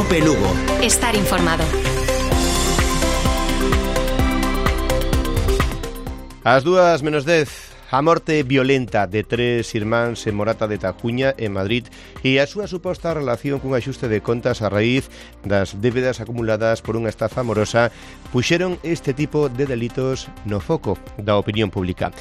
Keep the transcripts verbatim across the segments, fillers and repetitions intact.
COPE Lugo. Estar informado. Ás dúas menos dez, a morte violenta de tres irmáns en Morata de Tajuña, en Madrid, e a súa suposta relación cun axuste de contas a raíz das débedas acumuladas por unha estafa amorosa puxeron este tipo de delitos no foco da opinión pública.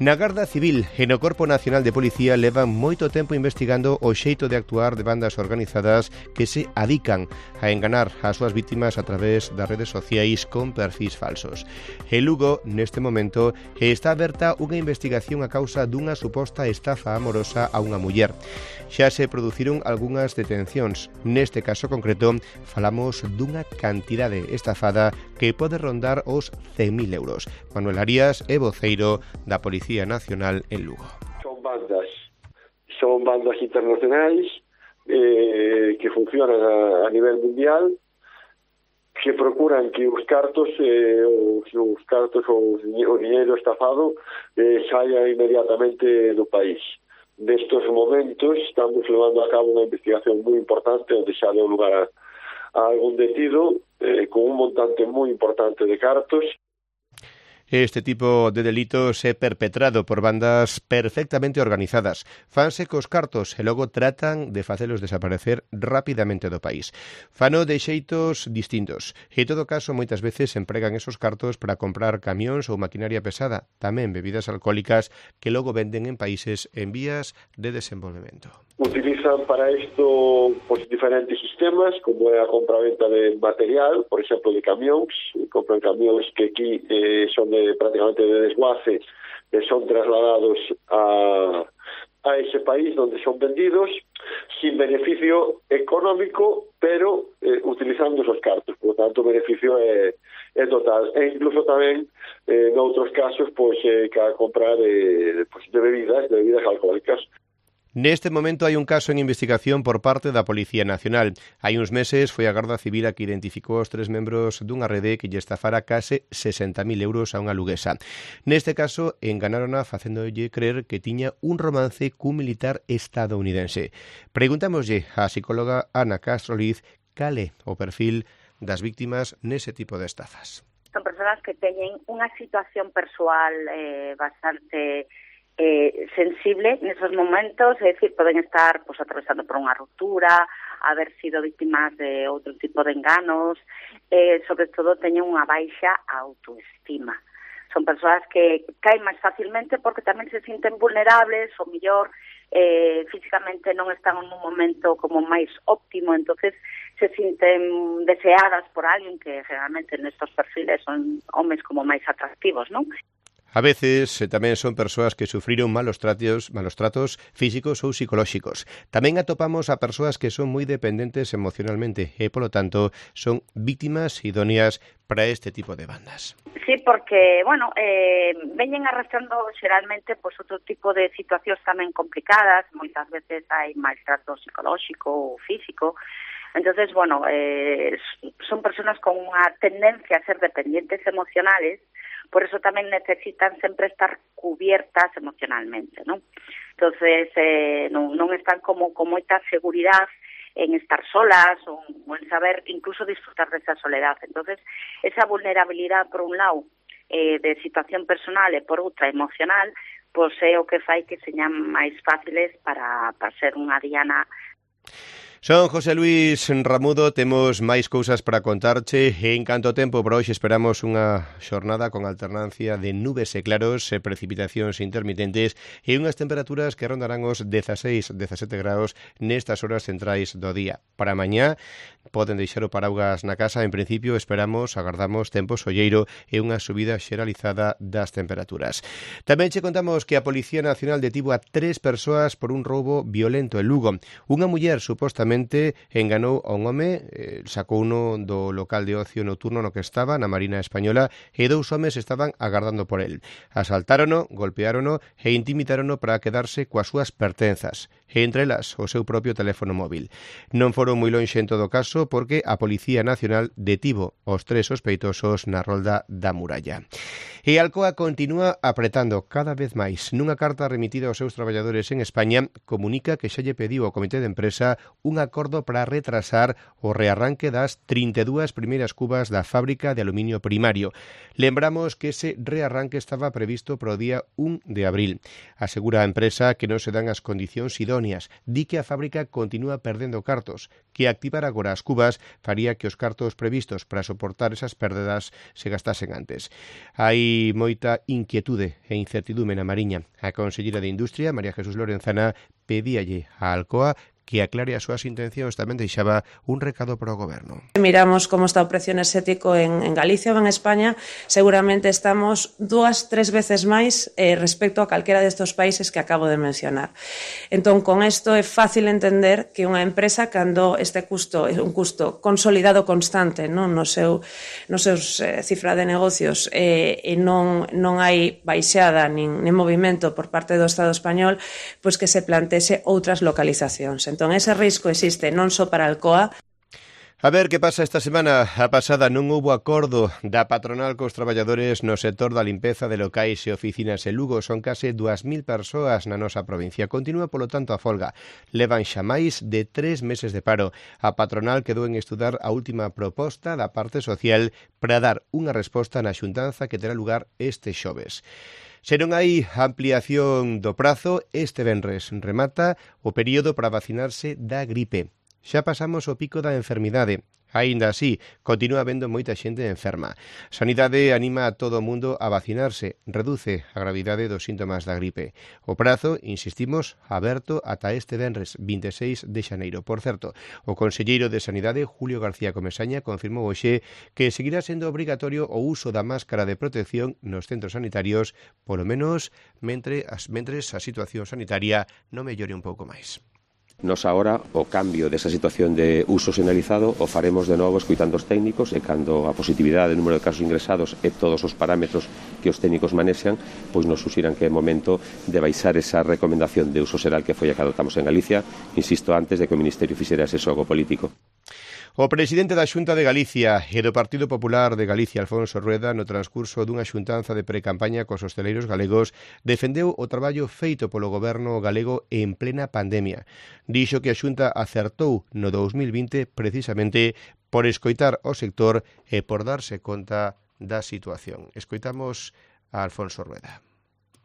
Na Garda Civil e no Corpo Nacional de Policía levan moito tempo investigando o xeito de actuar de bandas organizadas que se adican a enganar as súas vítimas a través das redes sociais con perfis falsos. En Lugo, neste momento, está aberta unha investigación a causa dunha suposta estafa amorosa a unha muller. Xa se produciron algunhas detencións. Neste caso concreto, falamos dunha cantidade estafada que pode rondar os cen mil euros. Manuel Arias é voceiro da Policía Nacional en Lugo. Son bandas, son bandas internacionais eh, que funcionan a, a nivel mundial, que procuran que os cartos, eh, os, os cartos ou o dinheiro estafado eh, saia inmediatamente do país. Nestos momentos estamos levando a cabo unha investigación moi importante onde xa deu lugar a, a algún detido eh, con un montante moi importante de cartos. Este tipo de delitos é perpetrado por bandas perfectamente organizadas. Fanse cos cartos e logo tratan de facelos desaparecer rapidamente do país. Fano de xeitos distintos. E, en todo caso, moitas veces empregan esos cartos para comprar camións ou maquinaria pesada, tamén bebidas alcohólicas que logo venden en países en vías de desenvolvemento. Utilizan para isto pues, diferentes sistemas, como é a compra-venta de material, por exemplo, de camións. Compran camións que aquí eh, son de, prácticamente de desguace, que son trasladados a, a ese país donde son vendidos, sin beneficio económico, pero eh, utilizando esos cartos. Por lo tanto, o beneficio é, é total. E incluso tamén, eh, noutros casos, pues, eh, que a comprar de, pues, de bebidas, de bebidas alcohólicas. Neste momento hai un caso en investigación por parte da Policía Nacional. Hai uns meses foi a Garda Civil a que identificou os tres membros dunha rede que lle estafara case sesenta mil euros a unha luguesa. Neste caso, enganárona facéndolle creer que tiña un romance cun militar estadounidense. Preguntámoslle á psicóloga Ana Castro Liz cal é o perfil das víctimas nese tipo de estafas. Son persoas que teñen unha situación persoal eh, bastante Eh, sensible nesos momentos, é dicir, poden estar pues, atravesando por unha ruptura, haber sido víctimas de outro tipo de enganos, eh, sobre todo teñen unha baixa autoestima. Son persoas que caen máis facilmente porque tamén se sinten vulnerables, ou mellor eh, físicamente non están en un momento como máis óptimo, entonces se sinten deseadas por alguén que generalmente nestos perfiles son homes como máis atractivos, non? A veces tamén son persoas que sufriron malos tratos, malos tratos físicos ou psicolóxicos. Tamén atopamos a persoas que son moi dependentes emocionalmente e, polo tanto, son víctimas idóneas para este tipo de bandas. Sí, porque, bueno, eh, veñen arrastrando xeralmente pues, outro tipo de situacións tamén complicadas, moitas veces hai maltrato psicolóxico ou físico. Entonces, bueno, eh, son persoas con unha tendencia a ser dependientes emocionales. Por eso tamén necesitan sempre estar cubiertas emocionalmente, ¿no? Entonces, eh, non, non están como con moita seguridade en estar solas ou, ou en saber incluso disfrutar desa soledad. Entonces, esa vulnerabilidade, por un lado, eh, de situación personal e por outra emocional, pois é o que fai que señan máis fáciles para, para ser unha diana. Son José Luis Ramudo, temos máis cousas para contarche e en canto tempo para hoxe esperamos unha xornada con alternancia de nubes e claros e precipitacións intermitentes e unhas temperaturas que rondarán os dieciséis, dezasete graus nestas horas centrais do día. Para mañá poden deixar o paraugas na casa, en principio esperamos, agardamos tempo solleiro e unha subida xeralizada das temperaturas. Tamén che contamos que a Policía Nacional detivo a tres persoas por un roubo violento en Lugo. Unha muller supostamente enganou a un home, eh, sacou uno do local de ocio nocturno no que estaba, na Marina Española, e dous homes estaban agardando por el. Asaltárono, golpeárono e intimidárono para quedarse coas súas pertenzas, e entre elas o seu propio teléfono móvil. Non foron moi lonxe en todo caso porque a Policía Nacional detivo os tres sospeitosos na rolda da Muralla. E Alcoa continúa apretando cada vez máis. Nunha carta remitida aos seus traballadores en España, comunica que xa lle pediu ao Comité de Empresa unha de acordo para retrasar o rearranque das trinta e dúas primeiras cubas da fábrica de aluminio primario. Lembramos que ese rearranque estaba previsto para o día un de abril. Asegura a empresa que non se dan as condicións idóneas. Di que a fábrica continúa perdendo cartos, que activar agora as cubas faría que os cartos previstos para soportar esas pérdidas se gastasen antes. Hai moita inquietude e incertidume na Mariña. A conselleira de Industria, María Jesús Lorenzana, pedíalle a Alcoa que aclare as súas intencións. Tamén deixaba un recado para o Goberno. Miramos como está o precio enerxético en, en Galicia ou en España, seguramente estamos dúas, tres veces máis eh, respecto a calquera destes países que acabo de mencionar. Entón, con isto é fácil entender que unha empresa, cando este custo é un custo consolidado constante, non no seu nos seus eh, cifra de negocios eh, e non, non hai baixada nin, nin movimento por parte do Estado español, pois que se plantese outras localizacións. Entón, ese risco existe non só para Alcoa. A ver que pasa esta semana. A pasada non houbo acordo da patronal cos traballadores no sector da limpeza de locais e oficinas en Lugo. Son case dúas mil persoas na nosa provincia. Continúa, polo tanto, a folga. Levan xa máis de tres meses de paro. A patronal quedou en estudar a última proposta da parte social para dar unha resposta na xuntanza que terá lugar este xoves. Se non hai ampliación do prazo, este venres remata o período para vacinarse da gripe. Xa pasamos o pico da enfermidade. Aínda así, continúa habendo moita xente enferma. Sanidade anima a todo o mundo a vacinarse, reduce a gravidade dos síntomas da gripe. O prazo, insistimos, aberto ata este venres vinte e seis de xaneiro. Por certo, o conselleiro de Sanidade, Julio García Comesaña, confirmou hoxe que seguirá sendo obrigatorio o uso da máscara de protección nos centros sanitarios, polo menos mentre as, mentres a situación sanitaria non mellore un pouco máis. Nos agora o cambio desa situación de uso xeneralizado o faremos de novo escoitando os técnicos e cando a positividade, o número de casos ingresados e todos os parámetros que os técnicos manexan, pois nos suxiran que é momento de baixar esa recomendación de uso xeral que foi a que adoptamos en Galicia, insisto, antes de que o Ministerio fixera ese xogo político. O presidente da Xunta de Galicia e do Partido Popular de Galicia, Alfonso Rueda, no transcurso dunha xuntanza de precampaña cos hosteleiros galegos, defendeu o traballo feito polo goberno galego en plena pandemia. Dixo que a Xunta acertou no dous mil vinte precisamente por escoitar o sector e por darse conta da situación. Escoitamos a Alfonso Rueda.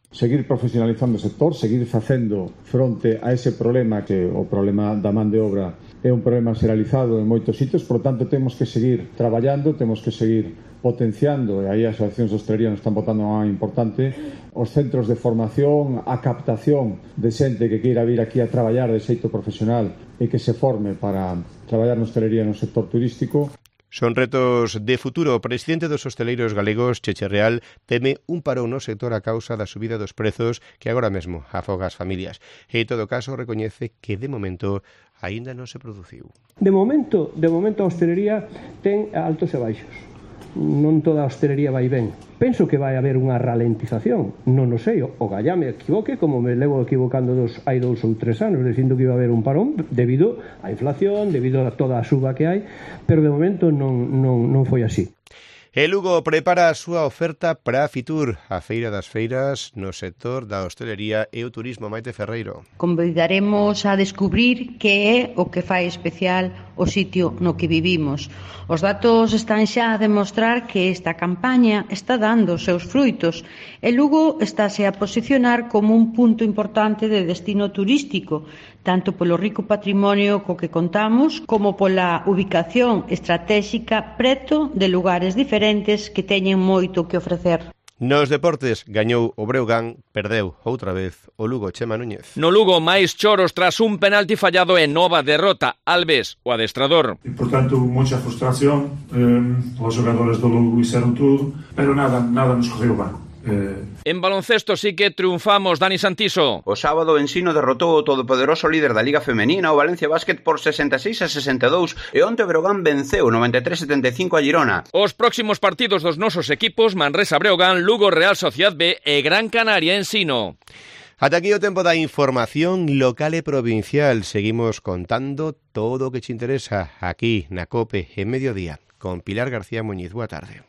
Seguir profesionalizando o sector, seguir facendo fronte a ese problema que o problema da man de obra é un problema xeralizado en moitos sitios, por tanto temos que seguir traballando, temos que seguir potenciando, e aí as asociacións de hostelería nos están botando unha importante, os centros de formación, a captación de xente que queira vir aquí a traballar de xeito profesional e que se forme para traballar na hostelería no sector turístico. Son retos de futuro. O presidente dos hosteleiros galegos, Cheche Real, teme un parón no sector a causa da subida dos prezos que agora mesmo afoga as familias. E, en todo caso, recoñece que, de momento, aínda non se produciu. De momento, de momento a hostelería ten altos e baixos. Non toda a hostelería vai ben. Penso que vai haber unha ralentización. Non o sei, o gallá me equivoque, como me levo equivocando dos, hai dous ou tres anos, dicindo que iba a haber un parón debido á inflación, debido a toda a suba que hai, pero de momento non, non, non foi así. E Lugo prepara a súa oferta para a Fitur, a Feira das Feiras no sector da hostelería e o turismo. Maite Ferreiro. Convidaremos a descubrir que é o que fai especial o sitio no que vivimos. Os datos están xa a demostrar que esta campaña está dando os seus fruitos e Lugo estáse a posicionar como un punto importante de destino turístico, tanto polo rico patrimonio co que contamos como pola ubicación estratégica preto de lugares diferentes que teñen moito que ofrecer. Nos deportes, gañou o Breogán, perdeu outra vez o Lugo. Chema Núñez. No Lugo, máis choros tras un penalti fallado e nova derrota. Alves, o adestrador. E, portanto, moita frustración. Eh, os jogadores do Lugo hicieron tudo, pero nada, nada nos correu ben. Eh... En baloncesto sí que triunfamos, Dani Santiso. O sábado o Ensino derrotou o todopoderoso líder da Liga Femenina, o Valencia Basket, por sesenta e seis a sesenta e dous, e onte o Breogán venceu noventa e tres a setenta e cinco a Girona. Os próximos partidos dos nosos equipos, Manresa Breogán, Lugo Real Sociedad B e Gran Canaria Ensino. Ata aquí o tempo da información local e provincial. Seguimos contando todo o que te interesa aquí na COPE en Mediodía con Pilar García Muñiz. Boa tarde.